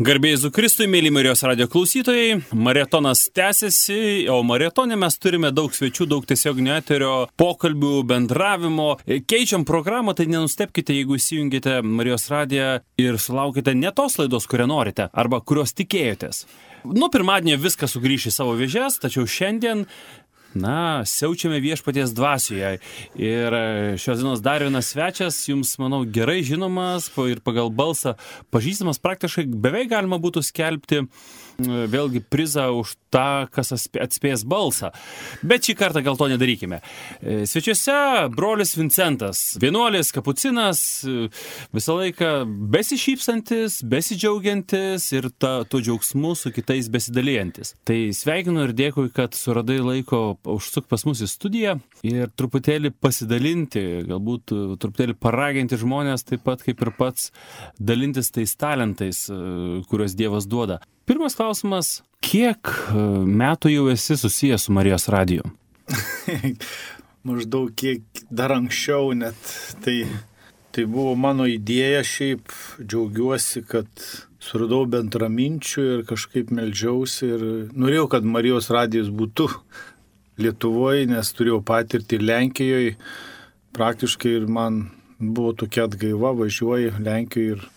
Garbė Jėzui Kristui, mėly Marijos radijo klausytojai, maratonas tęsiasi, o maratone mes turime daug svečių, daug tiesioginio eterio, pokalbių, bendravimo. Keičiam programą, tai nenustepkite, jeigu įsijungite Marijos radiją ir sulaukite ne tos laidos, kurią norite, arba kurios tikėjotės. Nuo pirmadienio viskas sugrįš į savo vėžes, tačiau šiandien siaučiame viešpaties dvasioje. Ir šios dienos dar vienas svečias, jums, manau, gerai žinomas ir pagal balsą pažįstamas, praktiškai beveik galima būtų skelbti vėlgi prizą už tą, kas atspės balsą. Bet šį kartą gal to nedarykime. Svečiuose brolis Vincentas, vienuolis, kapucinas, visą laiką besišypsantis, besidžiaugiantis ir tuo džiaugsmu su kitais besidalijantis. Tai sveikinu ir dėkui, kad suradai laiko užsuk pas mus į studiją ir truputėlį pasidalinti, galbūt truputėlį paraginti žmonės taip pat kaip ir pats dalintis tais talentais, kuriuos Dievas duoda. Pirmas klausimas, kiek metų jau esi susijęs su Marijos radiju? Maždaug kiek dar anksčiau net. Tai buvo mano idėja, šiaip džiaugiuosi, kad suradau bendraminčių ir kažkaip meldžiausi ir norėjau, kad Marijos radijas būtų Lietuvoje, nes turėjau patirtį Lenkijoje. Praktiškai ir man buvo tokia atgaiva, važiuoju Lenkijoje ir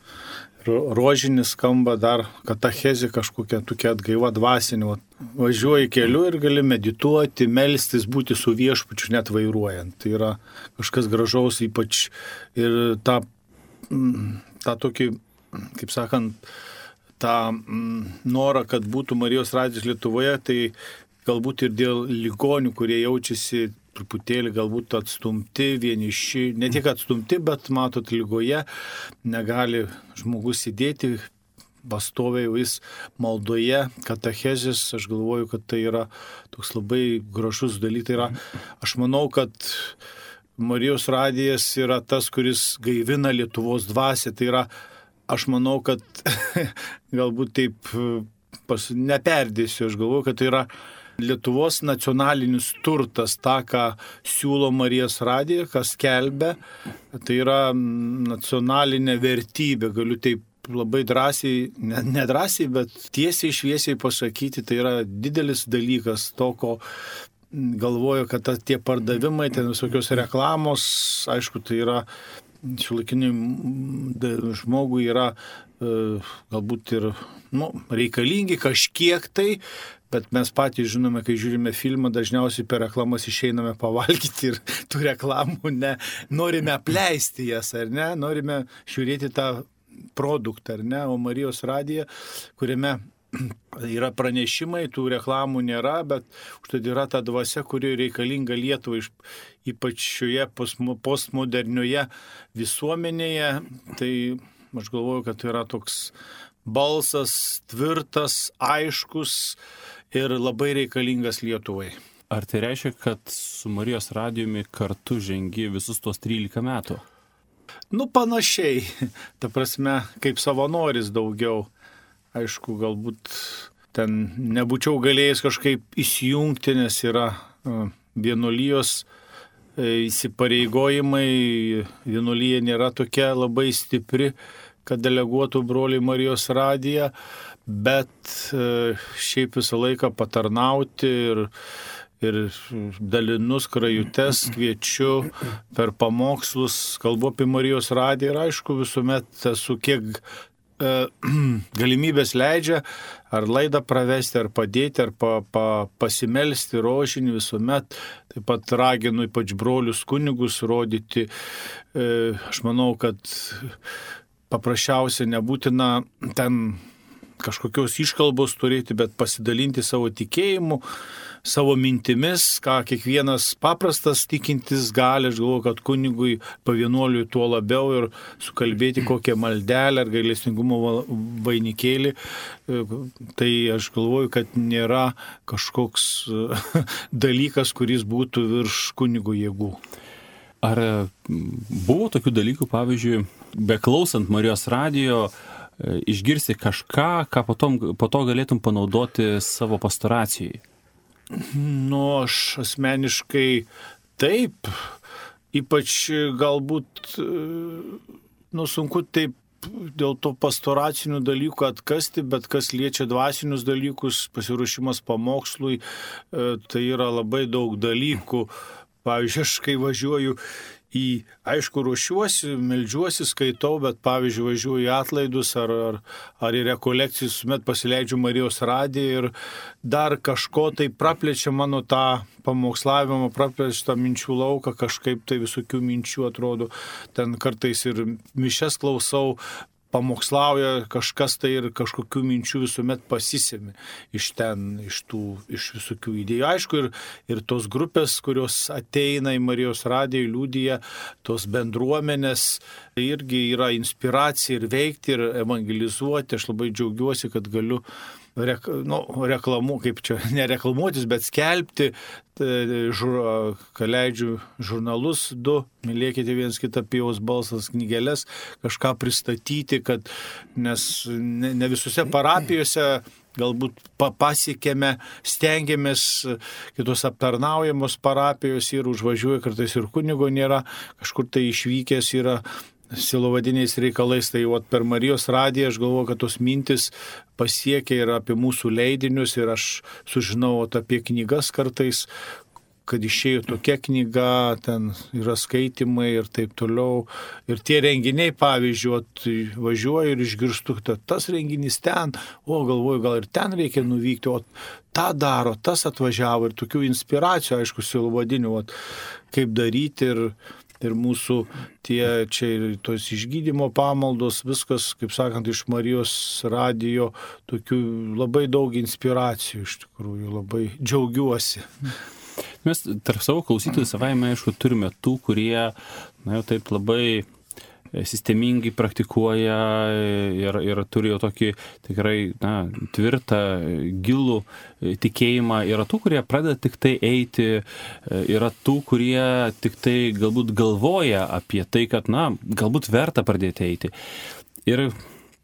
rožinis skamba dar katechezė kažkokia tokia atgaiva dvasinė. Važiuoji keliu ir gali medituoti, melstis, būti su viešpačiu net vairuojant. Tai yra kažkas gražaus, ypač ir tą tokį, kaip sakant, tą norą, kad būtų Marijos radijas Lietuvoje, tai galbūt ir dėl ligonių, kurie jaučiasi truputėlį galbūt atstumti, vieniši, ne tik atstumti, bet matot, ligoje negali žmogus sėdėti, pastoviai vis maldoje, katechezės, aš galvoju, kad tai yra toks labai gražus dalykas. Aš manau, kad Marijos radijas yra tas, kuris gaivina Lietuvos dvasią, tai yra, aš manau, kad galbūt taip neperdėsiu, aš galvoju, kad tai yra Lietuvos nacionalinis turtas, tą, ką siūlo Marijos radija, kas skelbia, tai yra nacionalinė vertybė, galiu taip labai drąsiai, nedrąsiai, bet tiesiai šviesiai pasakyti, tai yra didelis dalykas to, ko galvoju, kad tie pardavimai, ten visokios reklamos, aišku, tai yra šiuolaikiniam žmogui yra galbūt ir reikalingi kažkiek tai, bet mes patys žinome, kai žiūrime filmą, dažniausiai per reklamas išeiname pavalgyti ir tų reklamų norime apleisti jas, ar ne? Norime žiūrėti tą produktą, ar ne? O Marijos radija, kuriame yra pranešimai, tų reklamų nėra, bet užtat yra ta dvasia, kuri reikalinga Lietuvai, ypač šioje postmodernioje visuomenėje. Tai aš galvoju, kad tai yra toks balsas tvirtas, aiškus ir labai reikalingas Lietuvai. Ar tai reiškia, kad su Marijos radijumi kartu žengi visus tuos 13 metų? Panašiai. Ta prasme, kaip savanoris daugiau. Aišku, galbūt ten nebūčiau galėjęs kažkaip įsijungti, nes yra vienuolijos įsipareigojimai. Vienuolija nėra tokia labai stipri, kad deleguotų broliai Marijos radiją, bet šiaip visą laiką patarnauti ir dalinu skrajutes, kviečiu per pamokslus, kalbu apie Marijos radiją ir aišku visuomet esu kiek galimybės leidžia, ar laidą pravesti, ar padėti, ar pasimelsti rožinį visuomet. Taip pat raginu ypač brolius kunigus rodyti. Aš manau, kad paprasčiausia nebūtina ten kažkokios iškalbos turėti, bet pasidalinti savo tikėjimu, savo mintimis, ką kiekvienas paprastas tikintis gali. Aš galvoju, kad kunigui pavienuoliui tuo labiau ir sukalbėti kokią maldelę ar gailestingumo vainikėlį. Tai aš galvoju, kad nėra kažkoks dalykas, kuris būtų virš kunigo jėgų. Ar buvo tokių dalykų, pavyzdžiui, beklausant Marijos radijo, išgirsti kažką, ką po to galėtum panaudoti savo pastoracijai? Aš asmeniškai taip, ypač galbūt, sunku taip dėl to pastoracinių dalykų atkasti, bet kas liečia dvasinius dalykus, pasiruošimas pamokslui, tai yra labai daug dalykų. Pavyzdžiui, aš kai važiuoju aišku, ruošiuosi, meldžiuosi, skaitau, bet pavyzdžiui, važiuoju į atlaidus ar į rekolekcijas, met pasileidžiu Marijos radiją ir dar kažko tai praplečia mano tą pamokslavimą, praplečia tą minčių lauką, kažkaip tai visokių minčių atrodo. Ten kartais ir mišias klausau, pamokslauja kažkas tai ir kažkokių minčių visuomet pasisemi iš visokių idėjų. Aišku, ir tos grupės, kurios ateina į Marijos radiją, liudija, tos bendruomenės, irgi yra inspiracija ir veikti, ir evangelizuoti. Aš labai džiaugiuosi, kad galiu kaip čia, nereklamuotis, bet skelbti, leidžiu žurnalus 2, mylėkite viens kitą, Pijaus balsas, knygeles, kažką pristatyti, nes ne visose parapijose galbūt pasiekėme, stengiamės, kitos aptarnaujamos parapijos ir užvažiuoja, kartais ir kunigo nėra, kažkur tai išvykęs yra silovadiniais reikalais, tai per Marijos radiją aš galvoju, kad tos mintis pasiekia ir apie mūsų leidinius ir aš sužinau apie knygas kartais, kad išėjo tokia knyga, ten yra skaitimai ir taip toliau. Ir tie renginiai, pavyzdžiui, važiuoju ir išgirstu, tas renginys ten, galvoju, gal ir ten reikia nuvykti, tą daro, tas atvažiavo ir tokių inspiracijų, aišku, silovadinių, kaip daryti ir mūsų čia ir tos išgydymo pamaldos, viskas, kaip sakant, iš Marijos radijo, tokių labai daug inspiracijų, iš tikrųjų, labai džiaugiuosi. Mes tarp savo klausytojų savaime, aišku, turime tų, kurie, jau taip labai sistemingai praktikuoja ir turi jau tokį tikrai tvirtą, gilų tikėjimą. Yra tų, kurie pradeda tik tai eiti, yra tų, kurie tik tai galbūt galvoja apie tai, kad galbūt verta pradėti eiti. Ir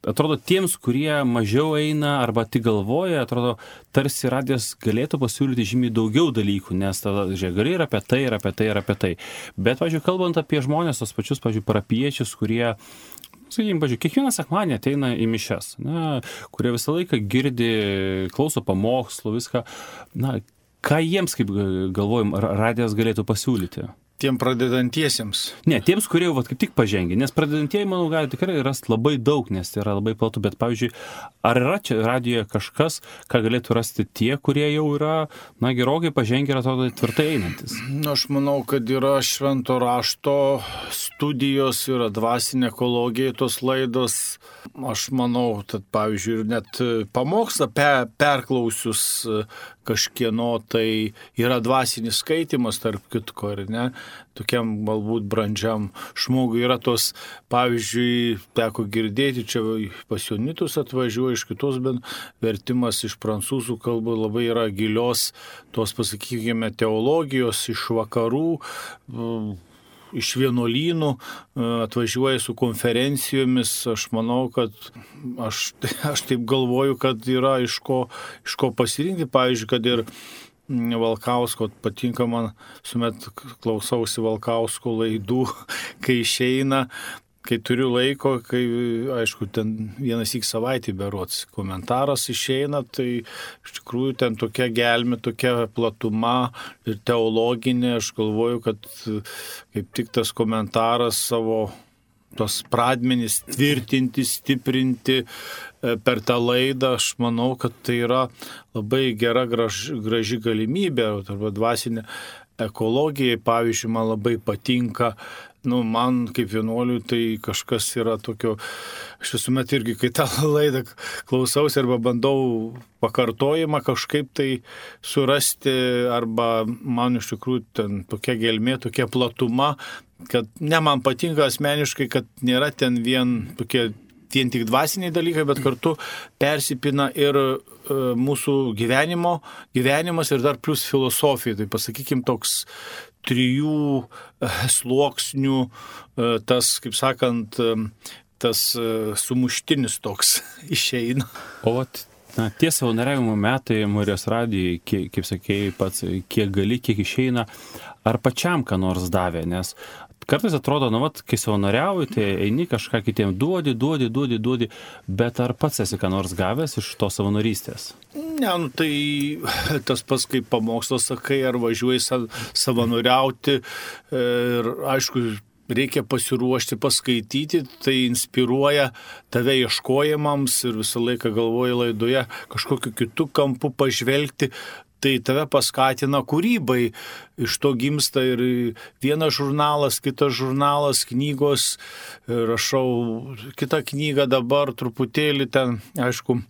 atrodo, tiems, kurie mažiau eina arba tik galvoja, atrodo, tarsi radijas galėtų pasiūlyti žymiai daugiau dalykų, nes tada, gali ir apie tai, ir apie tai, ir apie tai. Bet, pavyzdžiui, kalbant apie žmonės, tos pačius, pavyzdžiui, parapiečius, kurie, sakykime, pavyzdžiui, kiekvieną sekmadienį ateina į mišias, kurie visą laiką girdi, klauso pamokslų, viską, ką jiems, kaip galvojam, radijas galėtų pasiūlyti? Tiem pradedantiesiems. Ne, tiems, kurie jau kaip tik pažengė, nes pradedantieji, manau, gali tikrai rasti labai daug, nes tai yra labai platu, bet, pavyzdžiui, ar yra čia radijoje kažkas, ką galėtų rasti tie, kurie jau yra, gerokai pažengę ir atrodo tvirtai einantis? Aš manau, kad yra švento rašto studijos, yra dvasinė ekologija, tos laidos. Aš manau, kad, pavyzdžiui, net pamokslą perklausius kažkieno, tai yra dvasinis skaitimas, tarp kitko, ar ne? Tokiam galbūt brandžiam žmogui yra tos, pavyzdžiui, teko girdėti, čia pas Jonitus atvažiuoja iš kitos, bet vertimas iš prancūzų kalbų labai yra gilios, tos, pasakykime, teologijos iš vakarų, iš vienuolynų, atvažiuoja su konferencijomis. Aš manau, kad aš taip galvoju, kad yra iš ko pasirinkti. Pavyzdžiui, kad ir Valkausko, patinka man, sumet klausausi Valkausko laidų, kai išeina, kai turiu laiko, kai, aišku, ten vienas į savaitę berods komentaras išeina, tai iš tikrųjų ten tokia gelmė, tokia platuma ir teologinė. Aš galvoju, kad kaip tik tas komentaras savo tos pradmenys tvirtinti, stiprinti per tą laidą, aš manau, kad tai yra labai gera, graži galimybė, arba dvasinė ekologija, pavyzdžiui, man labai patinka. Man kaip vienuoliui tai kažkas yra tokio, aš visuomet irgi, kai tą laidą klausausi arba bandau pakartojimą kažkaip tai surasti, arba man iš tikrųjų ten tokia gelmė, tokia platuma, kad man patinka asmeniškai, kad nėra ten vien tik dvasiniai dalykai, bet kartu persipina ir mūsų gyvenimas ir dar plus filosofija. Tai pasakykim toks 3 sluoksnių, tas, kaip sakant, tas sumuštinis toks išeina. O tie savanoriavimo metai Marijos radijai, kaip sakėjai pats, kiek gali, kiek išeina, ar pačiam ką nors davė, nes kartais atrodo, kai savanoriauji, tai eini kažką kitiem duodi, bet ar pats esi ką nors gavęs iš to savanorystės? Ne, tai tas pats kaip pamokslas sakai, ar važiuoji savanoriauti ir aišku, reikia pasiruošti, paskaityti, tai inspiruoja tave ieškojimams ir visą laiką galvoji laidoje kažkokiu kitų kampų pažvelgti. Tai tave paskatina kūrybai, iš to gimsta ir vienas žurnalas, kitas žurnalas, knygos, rašau kitą knygą dabar truputėlį ten, aišku,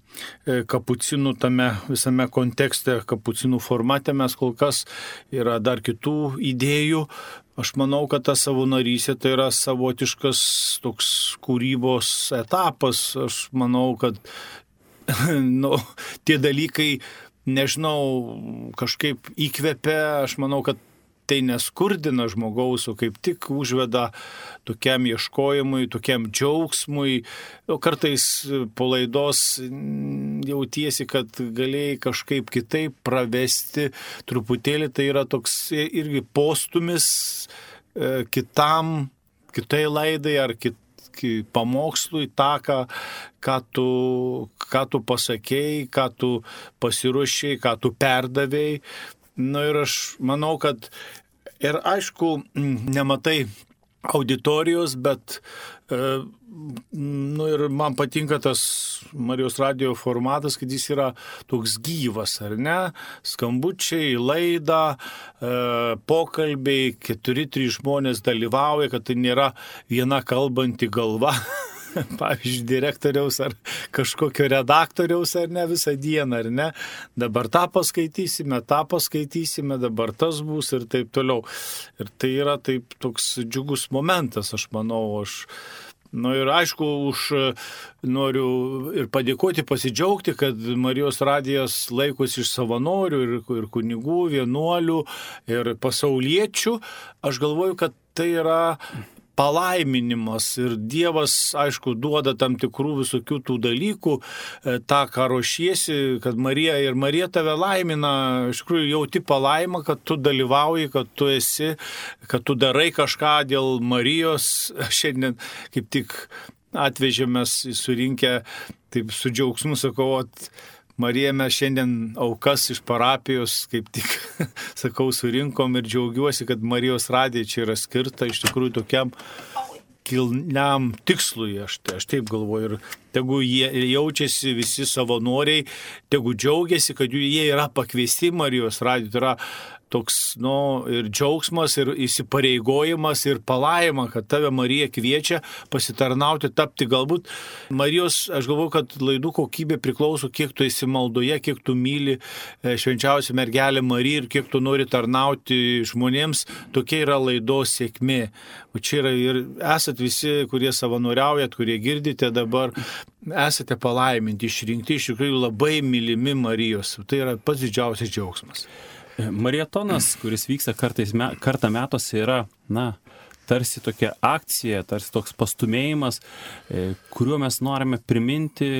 kapucinų tame visame kontekste, kapucinų formate mes kol kas yra dar kitų idėjų. Aš manau, kad ta savanorystė tai yra savotiškas toks kūrybos etapas. Aš manau, kad tie dalykai nežinau, kažkaip įkvepia, aš manau, kad tai neskurdina žmogaus, o kaip tik užveda tokiam ieškojimui, tokiam džiaugsmui. Kartais po laidos jautiesi, kad galėjai kažkaip kitaip pravesti truputėlį, tai yra toks irgi postumis kitai laidai ar pamokslui, tą, ką tu pasakėjai, ką tu pasiruošėjai, ką tu perdavėjai. Ir aš manau, kad ir aišku, nematai auditorijos, bet ir man patinka tas Marijos radijo formatas, kad jis yra toks gyvas, ar ne? Skambučiai, laida, pokalbiai, 4-3 žmonės dalyvauja, kad tai nėra viena kalbanti galva. Pavyzdžiui, direktoriaus ar kažkokio redaktoriaus, ar ne, visą dieną, ar ne. Dabar tą paskaitysime, dabar tas bus ir taip toliau. Ir tai yra taip toks džiugus momentas, aš manau. Ir aišku, noriu ir padėkoti, pasidžiaugti, kad Marijos radijas laikosi iš savanorių ir kunigų, vienuolių ir pasauliečių. Aš galvoju, kad tai yra palaiminimas ir Dievas, aišku, duoda tam tikrų visokių tų dalykų, tą, ką ruošiesi, kad Marija tave laimina, iš tikrųjų jauti palaimą, kad tu dalyvauji, kad tu esi, kad tu darai kažką dėl Marijos. Šiandien kaip tik atvežėme surinkę, taip su džiaugsmu sakau, Marija, mes šiandien aukas iš parapijos, kaip tik, sakau, surinkom ir džiaugiuosi, kad Marijos radija čia yra skirta iš tikrųjų tokiam kilniam tikslui, aš taip galvoju. Ir tegu jie jaučiasi visi savanoriai, tegu džiaugiasi, kad jie yra pakviesti Marijos radijo. Tai yra toks, ir džiaugsmas, ir įsipareigojimas, ir palaima, kad tave Marija kviečia pasitarnauti, tapti galbūt. Marijos, aš galvoju, kad laidų kokybė priklauso, kiek tu esi maldoje, kiek tu myli švenčiausią mergelę Mariją ir kiek tu nori tarnauti žmonėms. Tokia yra laidos sėkmė. O čia yra ir esat visi, kurie savanoriaujat, kurie girdite dabar, esate palaiminti, išrinkti, iš tikrųjų labai mylimi Marijos. Tai yra pats didžiausias džiaugsmas. Marietonas, kuris vyksta kartą metuose, yra, tarsi tokia akcija, tarsi toks pastumėjimas, kuriuo mes norime priminti,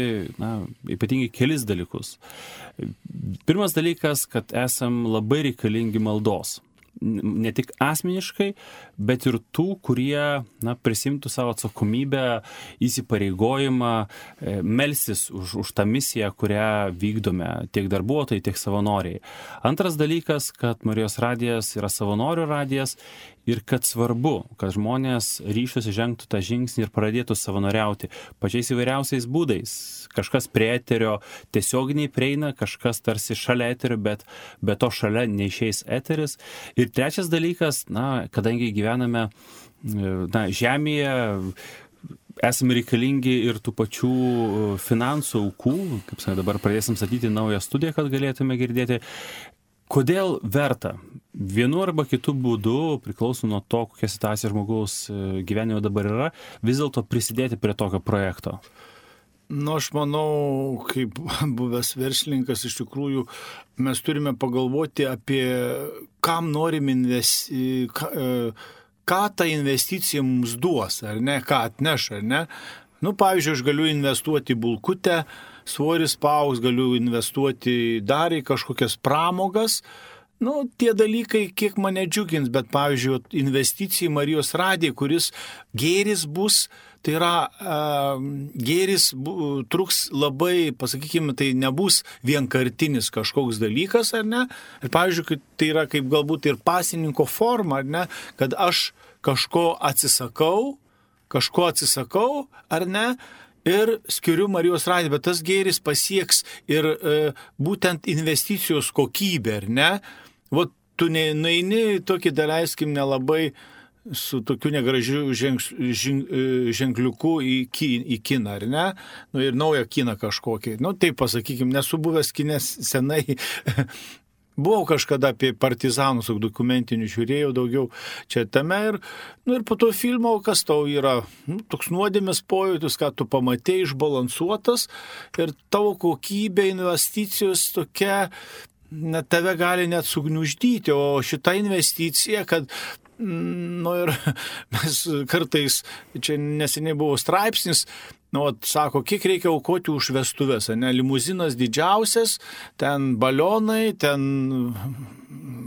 ypatingai kelis dalykus. Pirmas dalykas, kad esam labai reikalingi maldos. Ne tik asmeniškai, bet ir tų, kurie prisimtų savo atsakomybę, įsipareigojimą, melsis už tą misiją, kurią vykdome, tiek darbuotojai, tiek savanoriai. Antras dalykas, kad Marijos radijas yra savanorių radijas ir kad svarbu, kad žmonės ryžtųsi žengtų tą žingsnį ir pradėtų savanoriauti pačiais įvairiausiais būdais. Kažkas prie eterio tiesioginiai prieina, kažkas tarsi šalia eterio, bet be to šalia neišeis eteris. Ir trečias dalykas, kadangi gyvename žemėje, esame reikalingi ir tų pačių finansų aukų, kaip sakė, dabar pradėsim statyti naują studiją, kad galėtume girdėti. Kodėl verta vienu arba kitu būdu, priklauso nuo to, kokia situacija žmogaus gyvenime dabar yra, vis dėlto prisidėti prie tokio projekto? Aš manau, kaip buvęs verslininkas, iš tikrųjų mes turime pagalvoti apie kam norim ką ta investicija mums duos, ar ne, ką atneš, ar ne. Pavyzdžiui, aš galiu investuoti į bulkutę, svoris paaugs, galiu investuoti dar į kažkokias pramogas, tie dalykai kiek mane džiugins, bet pavyzdžiui, investicija į Marijos radiją, kuris gėris bus, tai yra gėris truks labai, pasakykime, tai nebus vienkartinis kažkoks dalykas, ar ne? Ir pavyzdžiui, tai yra kaip galbūt ir pasininko forma, ar ne? Kad aš kažko atsisakau, ar ne? Ir skiriu Marijos radiją, bet tas gėris pasieks ir būtent investicijos kokybę, ar ne? Vat tu neini tokį, daleiskim, nelabai su tokiu negražiu ženkliuku į kiną, ar ne? Ir naują kiną kažkokį. Taip pasakykim, nesu buvęs kinės senai. Buvau kažkada apie partizanus, dokumentinių žiūrėjau daugiau čia tame ir po to filmo, kas tau yra, toks nuodėmės pojūtis, ką tu pamatei, išbalansuotas ir tavo kokybė, investicijos tokia, tave gali net sugniuždyti, o šita investicija, kad ir mes kartais, čia neseniai buvo straipsnis, sako, kiek reikia aukoti už vestuves, ne, limuzinas didžiausias, ten balionai, ten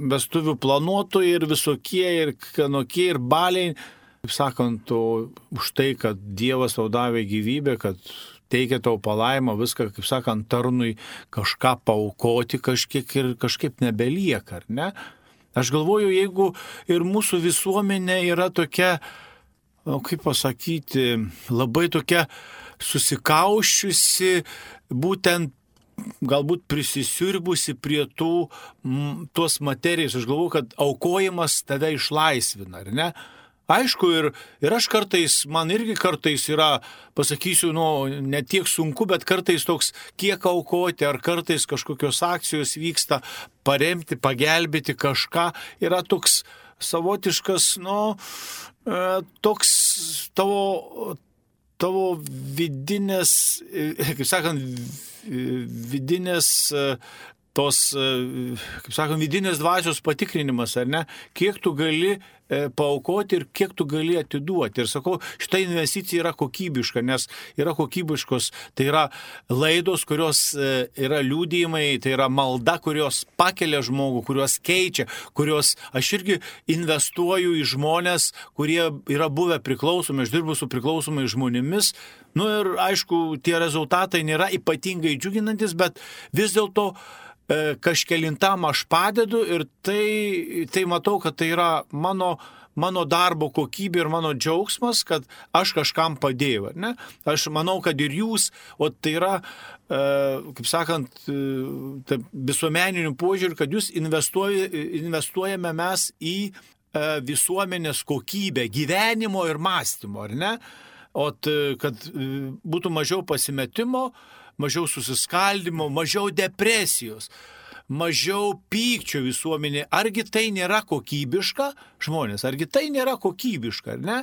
vestuvių planuotojai ir visokie, ir kanokie, ir baliai, kaip sakant, už tai, kad Dievas tau davė gyvybę, kad teikia tau palaimą, viską, kaip sakant, tarnui kažką paaukoti kažkiek ir kažkaip nebelieka, ar ne? Aš galvoju, jeigu ir mūsų visuomenė yra tokia, kaip pasakyti, labai tokia susikauščiusi, būtent galbūt prisisiurbusi prie tos materijos. Aš galvoju, kad aukojimas tave išlaisvina, ar ne? Aišku, ir aš kartais, man irgi kartais yra, pasakysiu, ne tiek sunku, bet kartais toks, kiek aukoti, ar kartais kažkokios akcijos vyksta, paremti, pagelbėti kažką, yra toks savotiškas, toks tavo vidinės, kaip sakant, vidinės vidinės dvasios patikrinimas, ar ne? Kiek tu gali paaukoti ir kiek tu gali atiduoti. Ir sakau, šita investicija yra kokybiška, nes yra kokybiškos, tai yra laidos, kurios yra liudijimai, tai yra malda, kurios pakelia žmogų, kurios keičia, kurios aš irgi investuoju į žmonės, kurie yra buvę priklausomi, aš dirbu su priklausomai žmonėmis. Ir aišku, tie rezultatai nėra ypatingai džiuginantis, bet vis dėlto kažkelintam aš padedu ir tai matau, kad tai yra mano darbo kokybė ir mano džiaugsmas, kad aš kažkam padėjau, ne? Aš manau, kad ir jūs, o tai yra, kaip sakant, visuomeninių požiūrį, kad jūs investuojame mes į visuomenės kokybę, gyvenimo ir mąstymo, ar ne? O kad būtų mažiau pasimetimo, mažiau susiskaldimo, mažiau depresijos, mažiau pykčio visuomenė. Argi tai nėra kokybiška, žmonės? Argi tai nėra kokybiška, ar ne?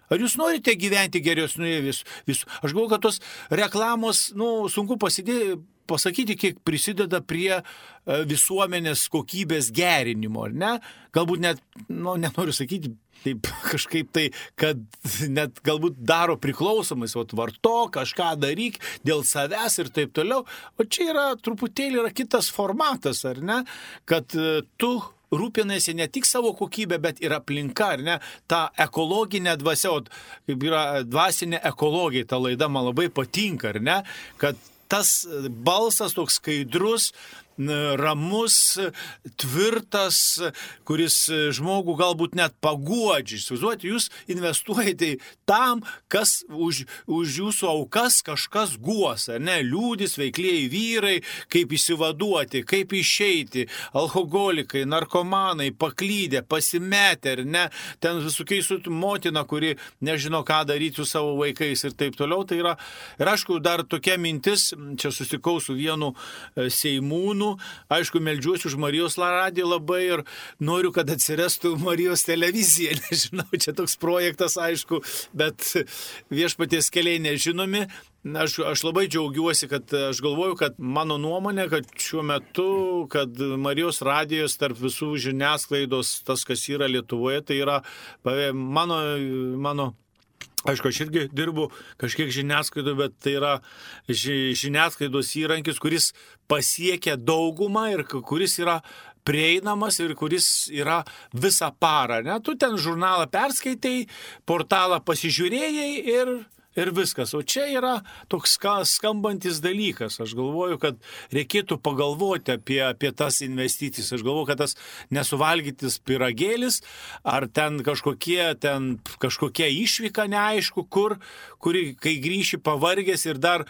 Ar jūs norite gyventi geresnėje visų? Aš galvoju, kad tos reklamos, sunku pasakyti, kiek prisideda prie visuomenės kokybės gerinimo, ar ne? Galbūt net, nenoriu sakyti, taip kažkaip tai, kad net galbūt daro priklausomais, varto, kažką daryk dėl savęs ir taip toliau. O čia truputėlį kitas formatas, ar ne? Kad tu rūpinasi ne tik savo kokybę, bet ir aplinka, ar ne? Ta ekologinė dvasia, kaip yra dvasinė ekologija, ta laida man labai patinka, ar ne? Kad tas balsas toks skaidrus, ramus, tvirtas, kuris žmogų galbūt net paguodžia. Įsivaizduojate, jūs investuojate tam, kas už jūsų aukas kažkas guos, ar ne? Liūdis, veiklieji vyrai, kaip išsivaduoti, kaip išeiti, alkoholikai, narkomanai, paklydę, pasimetę, ar ne? Ten visokiai su motina, kuri nežino, ką daryti su savo vaikais ir taip toliau. Tai yra, ir aišku, dar tokia mintis, čia susitikau su vienu seimūnu, aišku, meldžiuosi už Marijos radiją labai ir noriu, kad atsirastų Marijos televizija. Nežinau, čia toks projektas, aišku, bet viešpaties keliai nežinomi. Aš labai džiaugiuosi, kad aš galvoju, kad mano nuomonė, kad šiuo metu, kad Marijos radijos tarp visų žiniasklaidos, tas, kas yra Lietuvoje, tai yra mano aišku, aš irgi dirbu kažkiek žiniasklaidoje, bet tai yra žiniasklaidos įrankis, kuris pasiekia daugumą ir kuris yra prieinamas ir kuris yra visą parą. Ne? Tu ten žurnalą perskaitei, portalą pasižiūrėjai ir viskas. O čia yra toks skambantis dalykas. Aš galvoju, kad reikėtų pagalvoti apie tas investicijas. Aš galvoju, kad tas nesuvalgytis pyragėlis ar ten kažkokia išvyka neaišku, kuri, kai grįši pavargęs ir dar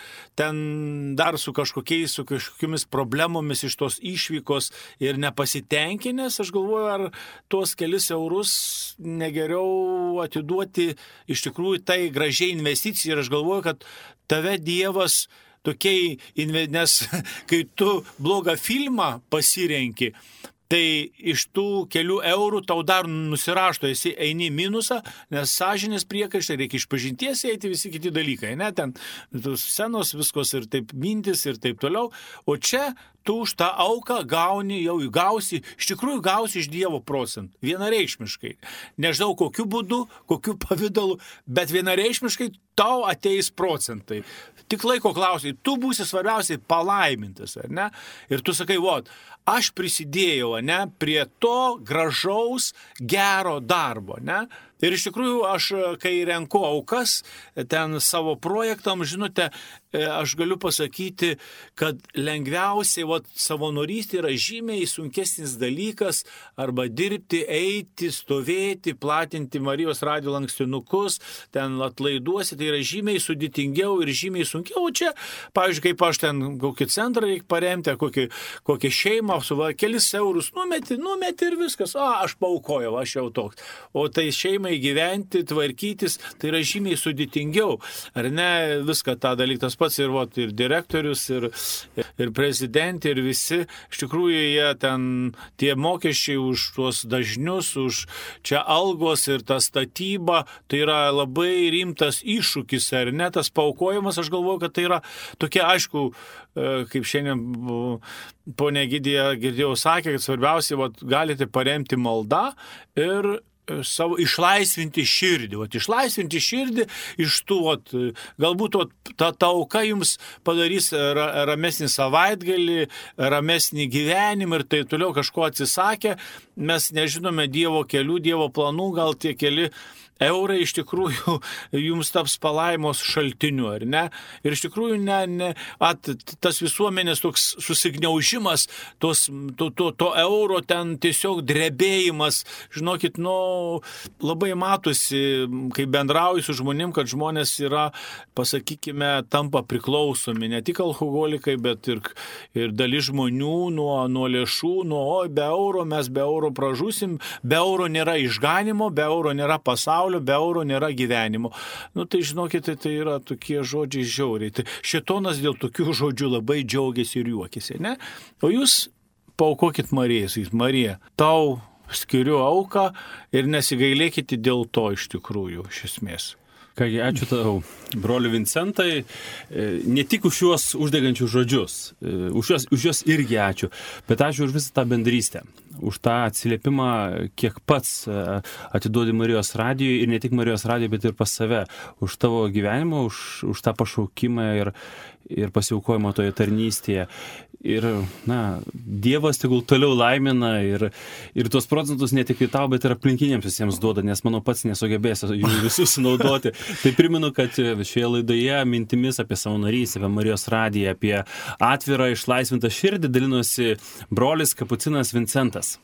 su kažkokiamis problemomis iš tos išvykos ir nepasitenkinęs, aš galvoju, ar tuos kelis eurus negeriau atiduoti iš tikrųjų tai gražiai investicijai. Ir aš galvoju, kad tave Dievas tokiai, nes kai tu blogą filmą pasirenki, tai iš tų kelių eurų tau dar nusirašto, esi eini minusą, nes sąžinės priekaištai, reikia išpažinties eiti visi kiti dalykai, ne, ten scenos viskos ir taip mintis ir taip toliau, o čia tu už tą auką gausi, iš tikrųjų gausi iš Dievo procentų, vienareikšmiškai. Nežinau kokiu būdu, kokiu pavidalu, bet vienareikšmiškai tau ateis procentai. Tik laiko klausiai, tu būsi svarbiausiai palaimintas, ar ne? Ir tu sakai, aš prisidėjau, ne, prie to gražaus, gero darbo, ne? Ir iš tikrųjų aš, kai renku aukas ten savo projektam, žinote, aš galiu pasakyti, kad lengviausiai savanorystė yra žymiai sunkesnis dalykas, arba dirbti, eiti, stovėti, platinti Marijos radijo lankstinukus, ten atlaiduosi, tai yra žymiai sudėtingiau ir žymiai sunkiau. O čia, pavyzdžiui, kaip aš ten kokį centrą reikia paremti, kokią šeimą, kelis eurus numeti ir viskas, aš paaukojau, aš jau toks. O tai šeimai gyventi, tvarkytis, tai yra žymiai sudėtingiau. Ar ne, viską tą dalyką, tas pats ir direktorius, ir prezidentė, ir visi, iš tikrųjų jie ten, tie mokesčiai už tuos dažnius, už čia algos ir ta statyba, tai yra labai rimtas iššūkis, ar ne, tas paaukojimas, aš galvoju, kad tai yra tokia, aišku, kaip šiandien ponė Egidija girdėjau sakė, kad svarbiausia, galite paremti maldą ir savo išlaisvinti širdį. Išlaisvinti širdį iš tų, galbūt ta auka jums padarys ramesnį savaitgalį, ramesnį gyvenimą ir tai toliau kažko atsisakė. Mes nežinome Dievo kelių, Dievo planų, gal tie keli eurai iš tikrųjų jums taps palaimos šaltiniu, ar ne? Ir iš tikrųjų tas visuomenės toks susigniaužimas, to euro ten tiesiog drebėjimas, žinokit, labai matosi, kai bendrauju su žmonėm, kad žmonės yra, pasakykime, tampa priklausomi, ne tik alkoholikai, bet ir dalis žmonių nuo lėšų, mes be euro pražusim, be euro nėra išganimo, be euro nėra pasaulio, be euro nėra gyvenimo. Tai žinokite, tai yra tokie žodžiai žiauriai. Tai šėtonas dėl tokių žodžių labai džiaugiasi ir juokiasi, ne? O jūs paaukokit Marijai, sakykit, Marija, tau skiriu auką ir nesigailėkite dėl to iš tikrųjų, iš esmės. Kągi, ačiū tau, broli Vincentai, ne tik už juos uždegančius žodžius, už juos irgi ačiū, bet ačiū už visą tą bendrystę, už tą atsiliepimą, kiek pats atiduodi Marijos radijui ir ne tik Marijos radijui, bet ir pas save, už tavo gyvenimą, už tą pašaukimą ir pasiaukojimą toje tarnystėje. Ir, Dievas tegul toliau laimina ir tuos procentus ne tik tau, bet ir aplinkiniams visiems duoda, nes mano pats nesugebėsiu jų visus naudoti. Tai primenu, kad šioje laidoje mintimis apie savanorystę, apie Marijos radiją, apie atvirą išlaisvintą širdį dalinosi brolis kapucinas Vincentas.